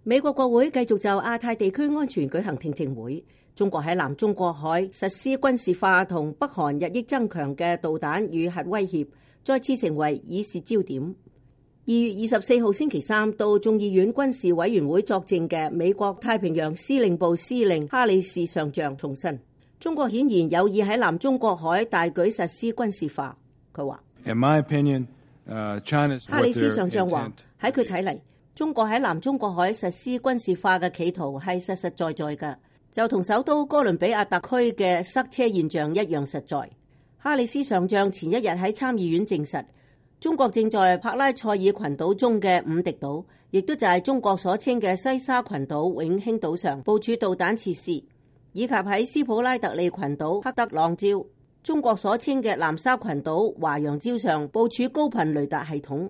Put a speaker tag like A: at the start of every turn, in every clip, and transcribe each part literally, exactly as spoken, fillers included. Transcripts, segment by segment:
A: 美國國會繼續就亞太地區安全舉行聽證會。中國喺南中國海實施軍事化同北韓日益增強嘅導彈與核威脅，再次成為議事焦點。二月二十四號星期三到眾議院軍事委員會作證嘅美國太平洋司令部司令哈里士上將重申，中國顯然有意喺南中國海大舉實施軍事化。佢話
B: ：In my opinion, uh, China's
A: 哈里士上將話喺佢睇嚟，中國喺南中國海實施軍事化嘅企圖係實實在在嘅，就同首都哥倫比亞特區嘅塞車現象一樣實在。哈里士上將前一日喺參議院證實，中國正在帕拉塞爾群島中嘅五敵島，亦都就係中國所稱嘅西沙群島永興島上部署導彈設施，以及喺斯普拉特利群島黑德朗礁，中國所稱嘅南沙群島華陽礁上部署高頻雷達系統。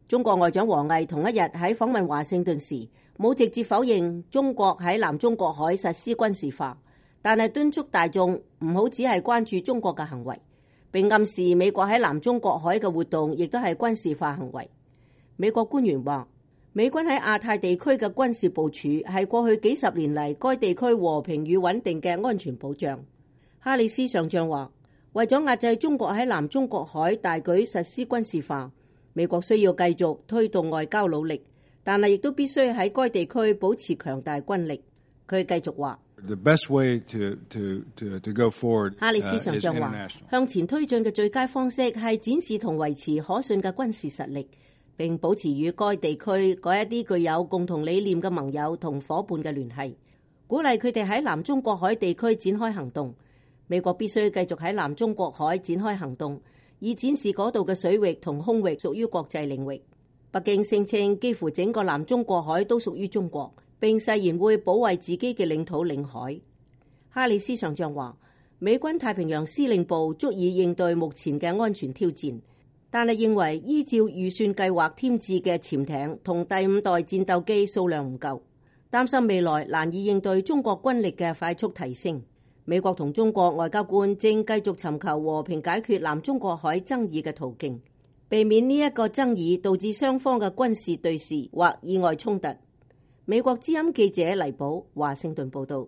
A: 中國外長王毅同一日喺訪問華盛頓時，冇直接否認中國喺南中國海實施軍事化，但係敦促大眾唔好只係關注中國嘅行為，並暗示美國喺南中國海嘅活動亦都係軍事化行為。美國官員話，美軍喺亞太地區嘅軍事部署係過去幾十年嚟該地區和平與穩定嘅安全保障。哈里士上將話，為咗壓制中國喺南中國海大舉實施軍事化，美國需要繼續推動外交努力，但係亦都必須喺該地區保持強大軍力。佢繼續話，哈里士上將話，向前推進嘅最佳方式係展示同維持可信嘅軍事實力，並保持與該地區嗰一啲具有共同理念嘅盟友同夥伴嘅聯繫，鼓勵佢哋喺南中國海地區展開行動。美國必須繼續喺南中國海展開行動，以展示嗰度嘅水域同空域屬於國際領域。北京聲稱幾乎整個南中國海都屬於中國，並誓言會保衛自己嘅領土領海。哈里士上將話，美軍太平洋司令部足以應對目前嘅安全挑戰，但係認為依照預算計劃添置嘅潛艇同第五代戰鬥機數量唔夠，擔心未來難以應對中國軍力嘅快速提升。美國同中國外交官正繼續尋求和平解決南中國海爭議嘅途徑，避免呢一個爭議導致雙方嘅軍事對峙或意外衝突。美國之音記者黎寶華盛頓報道。